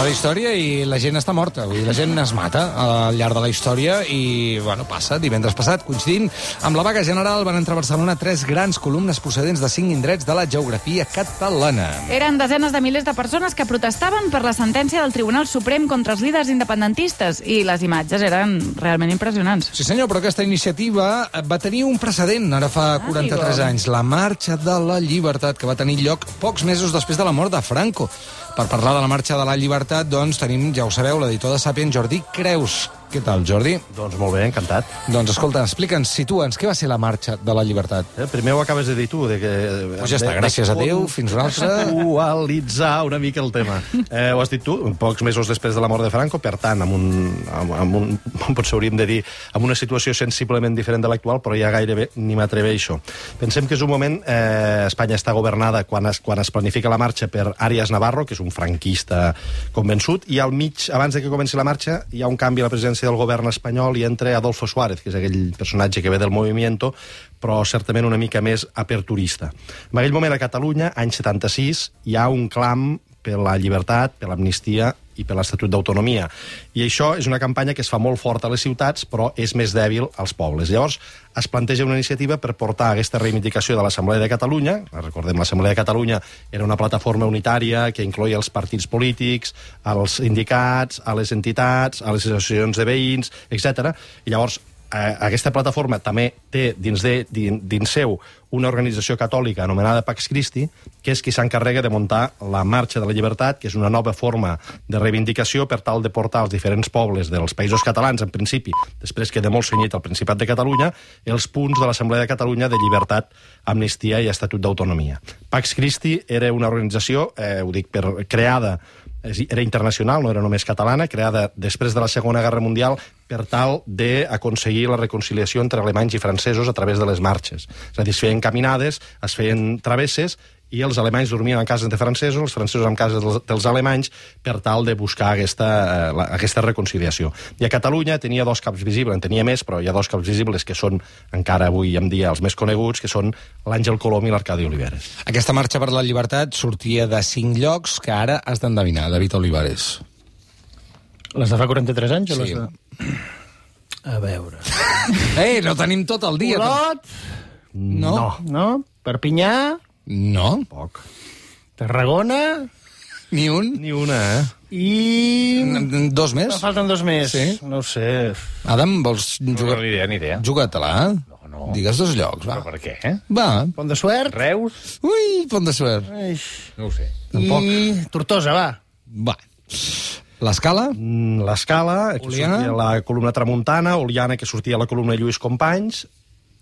la història i la gent està morta. Vull dir, la gent es mata al llarg de la història i, bueno, passa. Divendres passat, coincidint amb la vaga general, van entrar a Barcelona 3 grans columnes procedents de 5 indrets de la geografia catalana. Eren desenes de milers de persones que protestaven per la sentència del Tribunal Suprem contra els líders independentistes i les imatges eren realment impressionants. Sí, senyor, però aquesta iniciativa va tenir un precedent ara fa 43 anys. La Marxa de la Llibertat, que va tenir lloc pocs mesos després de la mort de Franco. Per parlar de la Marxa de la Llibertat, doncs, tenim, ja ho sabeu, l'editor de Sàpient, Jordi Creus. Què tal, Jordi? Doncs molt bé, encantat. Doncs escolta, explica'ns, situa'ns, què va ser la Marxa de la Llibertat? Primer ho acabes de dir tu. Pues ja està, gràcies a Déu, fins una altra. Actualitzar una mica el tema. Ho has dit tu, pocs mesos després de la mort de Franco, per tant, potser hauríem de dir, amb una situació sensiblement diferent de l'actual, però ja gairebé ni m'atreveixo. Pensem que és un moment, Espanya està governada quan es planifica la marxa per Arias Navarro, que és un franquista convençut, i al mig, abans de que comenci la marxa, hi ha un canvi a la presidència del govern espanyol i entra Adolfo Suárez, que és aquell personatge que ve del Movimiento, però certament una mica més aperturista. En aquell moment a Catalunya, any 76, hi ha un clam per la llibertat, per l'amnistia i per l'Estatut d'Autonomia. I això és una campanya que es fa molt forta a les ciutats, però és més dèbil als pobles. Llavors, es planteja una iniciativa per portar aquesta reivindicació de l'Assemblea de Catalunya. Recordem, l'Assemblea de Catalunya era una plataforma unitària que incloïa els partits polítics, els sindicats, a les entitats, a les associacions de veïns, etc. I llavors, aquesta plataforma també té dins seu una organització catòlica anomenada Pax Christi, que és qui s'encarrega de muntar la Marxa de la Llibertat, que és una nova forma de reivindicació per tal de portar als diferents pobles dels països catalans, en principi, després queda molt cenyit al Principat de Catalunya, els punts de l'Assemblea de Catalunya de llibertat, amnistia i Estatut d'Autonomia. Pax Christi era una organització, ho dic, creada, era internacional, no era només catalana, creada després de la Segona Guerra Mundial per tal d'aconseguir la reconciliació entre alemanys i francesos a través de les marxes. És a dir, es feien caminades, es feien travesses, i els alemanys dormien en cases de francesos, els francesos en cases dels alemanys, per tal de buscar aquesta reconciliació. I a Catalunya tenia 2 caps visibles, en tenia més, però hi ha 2 caps visibles que són, encara avui en dia, els més coneguts, que són l'Àngel Colom i l'Arcadi Oliveres. Aquesta Marxa per la Llibertat sortia de 5 llocs que ara has d'endevinar, David Olivares. Les de fa 43 anys? Sí. O les de... A veure... No tenim tot el dia. Olot? No. Perpinyà? No. Poc. Tarragona? Ni un? Ni una, I... 2 més? Falten 2 més. Sí. No ho sé. Adam, vols jugar? Ni idea. Juga-te-la. No. Digues 2 llocs, va. Però per què? Va. Pont de Suert? Reus? Ui, Pont de Suert. No ho sé. I... Tortosa, va. Va. L'Escala? L'Escala, que Oliana? sortia la columna Tramuntana, Oliana, que sortia la columna Lluís Companys,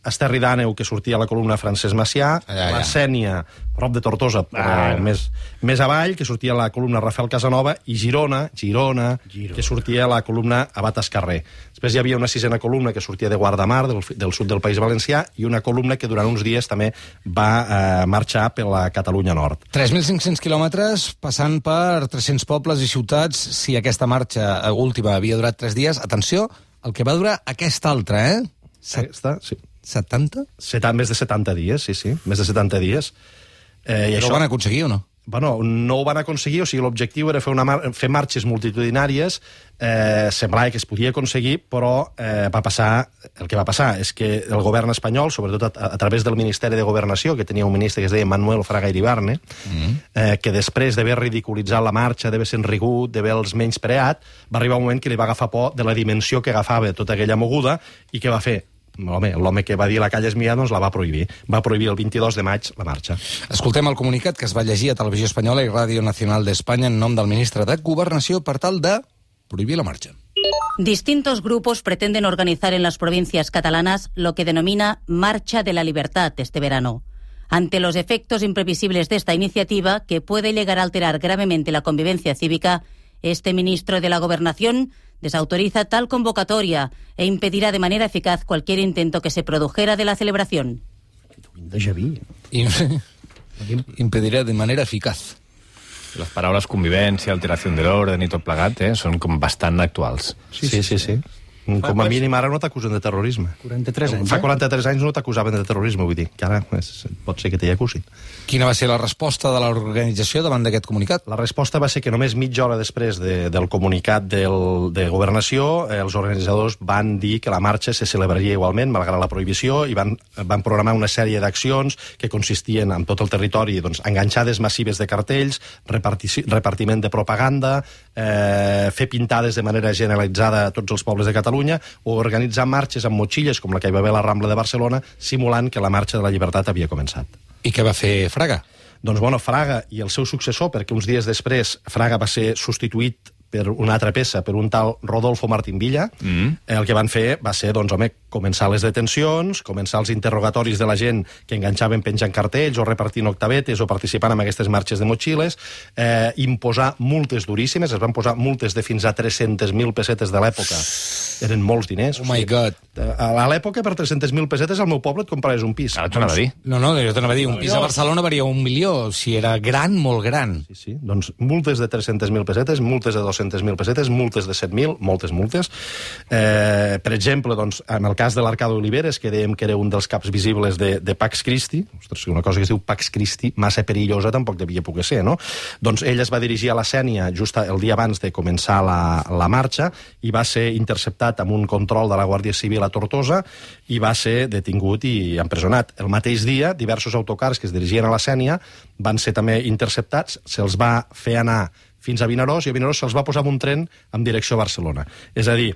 Esterri d'Àneu, que sortia la columna Francesc Macià, la Sénia, prop de Tortosa, però més avall, que sortia la columna Rafael Casanova, i Girona, que sortia la columna Abat Escarrer. Després hi havia una 6a columna que sortia de Guardamar, del sud del País Valencià, i una columna que durant uns dies també va marxar per la Catalunya Nord. 3.500 quilòmetres, passant per 300 pobles i ciutats. Si aquesta marxa última havia durat 3 dies, atenció, el que va durar aquesta altra, Aquesta, sí. 70? Més de 70 dies, sí, més de 70 dies. I això ho van aconseguir o no? Bueno, no ho van aconseguir, o sigui, l'objectiu era fer marxes multitudinàries, semblava que es podia aconseguir, però el que va passar és que el govern espanyol, sobretot a través del Ministeri de Governació, que tenia un ministre que es deia Manuel Fraga Iribarne, que després d'haver ridiculitzat la marxa, d'haver sent rigut, d'haver-los menyspreat, va arribar un moment que li va agafar por de la dimensió que agafava tota aquella moguda, i què va fer? L'home que va dir la calla és mia, doncs la va prohibir. Va prohibir el 22 de maig la marxa. Escoltem el comunicat que es va llegir a Televisió Espanyola i Ràdio Nacional d'Espanya en nom del ministre de Governació per tal de prohibir la marcha. Distintos grupos pretenden organizar en las provincias catalanas lo que denomina Marcha de la Libertad este verano. Ante los efectos imprevisibles de esta iniciativa, que puede llegar a alterar gravemente la convivencia cívica, este ministro de la Gobernación desautoriza tal convocatoria e impedirá de manera eficaz cualquier intento que se produjera de la celebración. Impedirá de manera eficaz. Les paraules convivència, alteració de l'ordre i tot plegat són com bastant actuals. Sí. Com a mínim ara no t'acusen de terrorisme. 43 anys, Fa 43 anys no t'acusaven de terrorisme, vull dir, que ara pot ser que t'hi acusin. Quina va ser la resposta de l'organització davant d'aquest comunicat? La resposta va ser que només mitja hora després del comunicat de Governació, els organitzadors van dir que la marxa se celebraria igualment, malgrat la prohibició, i van programar una sèrie d'accions que consistien en tot el territori, doncs, enganxades massives de cartells, repartiment de propaganda, fer pintades de manera generalitzada a tots els pobles de Catalunya, o organitzar marxes amb motxilles, com la que hi va haver a la Rambla de Barcelona, simulant que la marxa de la llibertat havia començat. I què va fer Fraga? Doncs, bueno, Fraga i el seu successor, perquè uns dies després Fraga va ser substituït per una altra peça, per un tal Rodolfo Martín Villa, el que van fer va ser, doncs, home, començar les detencions, començar els interrogatoris de la gent que enganxaven penjant cartells o repartint octavetes o participant en aquestes marxes de motxilles, imposar multes duríssimes, es van posar multes de fins a 300.000 pessetes de l'època. Eren molts diners. Oh my God. A l'època, per 300.000 pessetes, al meu poble et compraves un pis. Ara t'ho anava a dir. No, jo t'anava a dir, un pis a Barcelona valia 1 milió, si era gran, molt gran. Sí, doncs multes de 300.000 pessetes, multes de 200.000 pessetes, multes de 7.000, moltes multes. Per exemple, doncs, en el cas de l'Arcado Oliveres, que dèiem que era un dels caps visibles de Pax Christi, ostres, una cosa que es diu Pax Christi, massa perillosa tampoc devia poder ser, no? Doncs ell es va dirigir a la Sénia just el dia abans de començar la marxa i va ser interceptat amb un control de la Guàrdia Civil a Tortosa i va ser detingut i empresonat. El mateix dia, diversos autocars que es dirigien a la Sénia van ser també interceptats, se'ls va fer anar fins a Vinaròs, i a Vinaròs se'ls va posar en un tren en direcció a Barcelona. És a dir,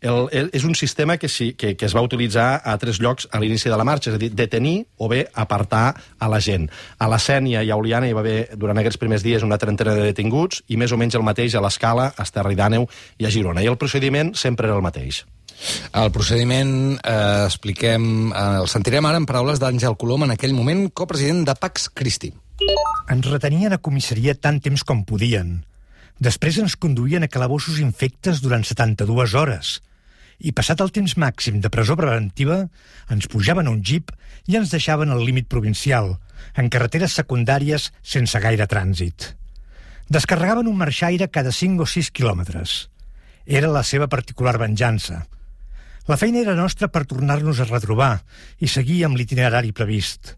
és un sistema que es va utilitzar a 3 llocs a l'inici de la marxa, és a dir, detenir o bé apartar a la gent. A la Sénia i a Oliana hi va haver, durant aquests primers dies, una trentena de detinguts, i més o menys el mateix a l'Escala, a Esterri d'Àneu i a Girona. I el procediment sempre era el mateix. El procediment, el sentirem ara en paraules d'Àngel Colom, en aquell moment copresident de Pax Christi. Ens retenien a comissaria tant temps com podien. Després ens conduïen a calabossos infectes durant 72 hores. I passat el temps màxim de presó preventiva, ens pujaven a un jeep i ens deixaven al límit provincial, en carreteres secundàries sense gaire trànsit. Descarregaven un marxaire cada 5 o 6 quilòmetres. Era la seva particular venjança. La feina era nostra per tornar-nos a retrobar i seguir amb l'itinerari previst.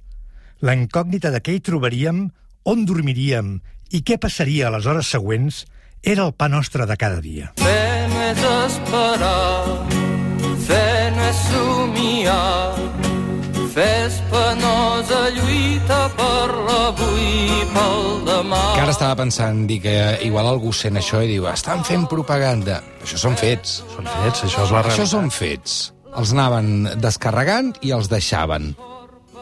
La incògnita de què hi trobaríem, on dormiríem i què passaria a les hores següents era el pa nostre de cada dia. Fe no és esperar, fe no és somiar, fe és penosa lluita per l'avui i pel demà. Que ara estava pensant, dir que igual algú sent això i diu, estan fent propaganda. Això són fets. Són fets, això és la realitat. Això són fets. Els anaven descarregant i els deixaven.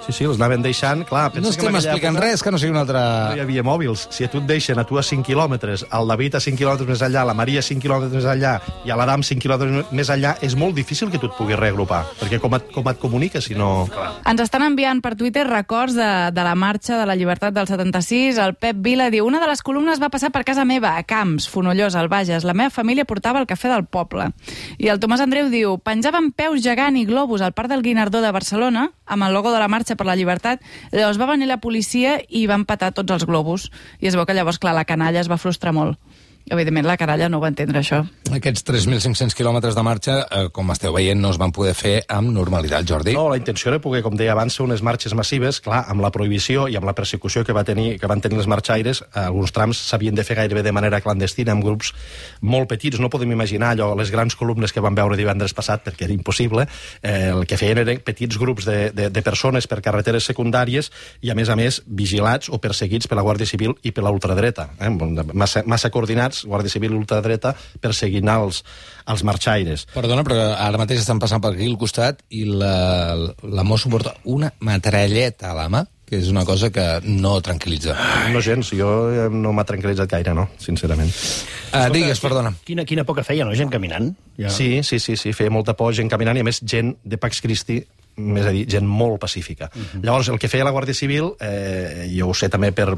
Sí, els anaven deixant, clar... No estem explicant res, que no sigui una altra... No hi havia mòbils. Si a tu et deixen, a tu a 5 quilòmetres, al David a 5 quilòmetres més enllà, la Maria a 5 quilòmetres més enllà i a l'Adam 5 quilòmetres més enllà, és molt difícil que tu et puguis reagrupar, perquè com et comuniques si no... Ens estan enviant per Twitter records de la marxa de la llibertat del 76. El Pep Vila diu, una de les columnes va passar per casa meva, a Camps, Fonollosa, al Bages. La meva família portava el cafè del poble. I el Tomàs Andreu diu, penjaven peus gegant i globus al Parc del Guinardó de Barcelona, amb el logo de la marxa per la llibertat. Llavors va venir la policia i van petar tots els globus. I es veu que llavors, clar, la canalla es va frustrar molt. Evidentment, la canalla no va entendre això. Aquests 3.500 quilòmetres de marxa, com esteu veient, no es van poder fer amb normalitat, Jordi. No, la intenció era poder, com deia abans, ser unes marxes massives. Clar, amb la prohibició i amb la persecució que van tenir els marxaires, alguns trams s'havien de fer gairebé de manera clandestina, amb grups molt petits. No podem imaginar allò, les grans columnes que vam veure divendres passat, perquè era impossible. El que feien eren petits grups de persones per carreteres secundàries i, a més, vigilats o perseguits per la Guàrdia Civil i per la ultradreta. Massa coordinats, Guàrdia Civil i ultradreta, perseguint els marxaires. Perdona, però ara mateix estan passant per aquí al costat i la mosso porta una metralleta a la mà, que és una cosa que no tranquil·litza. No gens, jo no m'ha tranquil·litzat gaire, no, sincerament. Digues, perdona. Quina por que feia, no? Gent caminant. Ja. Sí, feia molta por, gent caminant, i a més gent de Pax Christi més a dir, gent molt pacífica. Llavors, el que feia la Guàrdia Civil, jo ho sé també per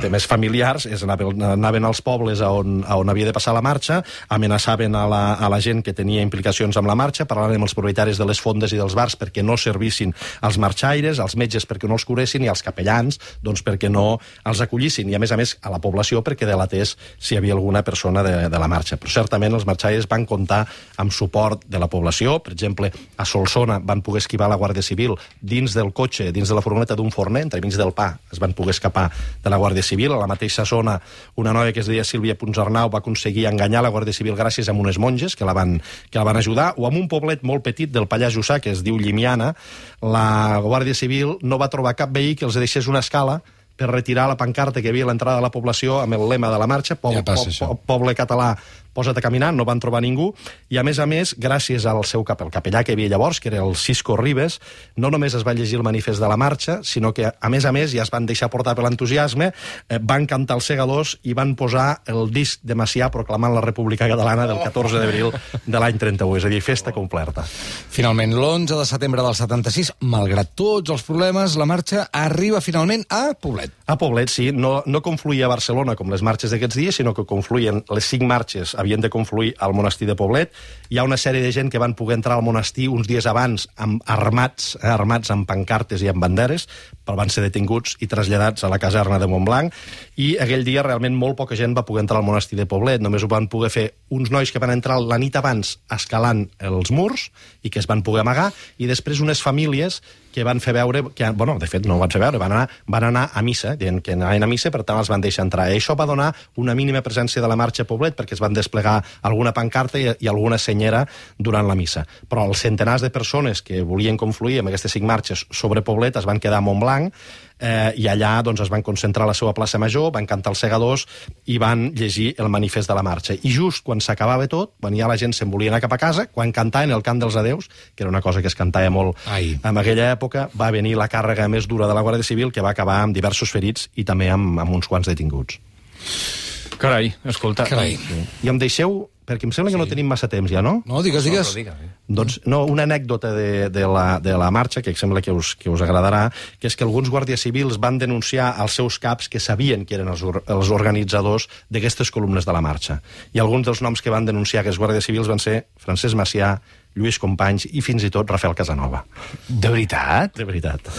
temes familiars, és anaven als pobles on havia de passar la marxa, amenaçaven a la gent que tenia implicacions amb la marxa, parlaven amb els propietaris de les fondes i dels bars perquè no servissin als marxaires, als metges perquè no els curessin i als capellans doncs perquè no els acollissin, i a més a la població perquè delatés si hi havia alguna persona de la marxa. Però certament els marxaires van comptar amb suport de la població. Per exemple, a Solsona van poder esquivar la Guàrdia Civil dins del cotxe, dins de la furgoneta d'un forner, entremig del pa, es van poder escapar de la Guàrdia Civil. A la mateixa zona, una noia que es deia Sílvia Puigdemont va aconseguir enganyar la Guàrdia Civil gràcies a unes monges que la van ajudar, o amb un poblet molt petit del Pallars Jussà, que es diu Llimiana, la Guàrdia Civil no va trobar cap veí que els deixés una escala per retirar la pancarta que hi havia a l'entrada de la població amb el lema de la marxa, poble català, posa't a caminar, no van trobar ningú, i a més, gràcies al seu el capellà que hi havia llavors, que era el Cisco Ribes, no només es va llegir el manifest de la marxa, sinó que, a més, ja es van deixar portar per l'entusiasme, van cantar els segadors i van posar el disc de Macià proclamant la República Catalana del 14 d'abril de l'any 31, és a dir, festa completa. Finalment, l'11 de setembre del 76, malgrat tots els problemes, la marxa arriba finalment a Poblet. A Poblet, sí. No confluïa a Barcelona com les marxes d'aquests dies, sinó que confluïen les 5 marxes, havien de confluir al monestir de Poblet. Hi ha una sèrie de gent que van poder entrar al monestir uns dies abans armats amb pancartes i amb banderes, però van ser detinguts i traslladats a la caserna de Montblanc, i aquell dia realment molt poca gent va poder entrar al monestir de Poblet. Només ho van poder fer uns nois que van entrar la nit abans escalant els murs i que es van poder amagar, i després unes famílies que van fer veure, de fet no ho van fer veure, van anar a missa, dient que anaven a missa, per tant els van deixar entrar. I això va donar una mínima presència de la marxa a Poblet, perquè es van desplegar alguna pancarta i alguna senyera durant la missa. Però els centenars de persones que volien confluir amb aquestes 5 marxes sobre Poblet es van quedar a Montblanc, i allà es van concentrar a la seva plaça Major, van cantar els segadors i van llegir el manifest de la marxa. I just quan s'acabava tot, quan ja la gent se'n volia anar cap a casa, quan cantaven el cant dels adeus, que era una cosa que es cantava molt en aquella època, va venir la càrrega més dura de la Guàrdia Civil, que va acabar amb diversos ferits i també amb uns quants detinguts. Carai, escolta. I em deixeu, perquè em sembla que no tenim massa temps ja, no? No, digues. Doncs, no, una anècdota de la marxa, que em sembla que us agradarà, que és que alguns guàrdies civils van denunciar als seus caps que sabien que eren els organitzadors d'aquestes columnes de la marxa. I alguns dels noms que van denunciar aquests guàrdies civils van ser Francesc Macià, Lluís Companys i fins i tot Rafael Casanova. De veritat? De veritat.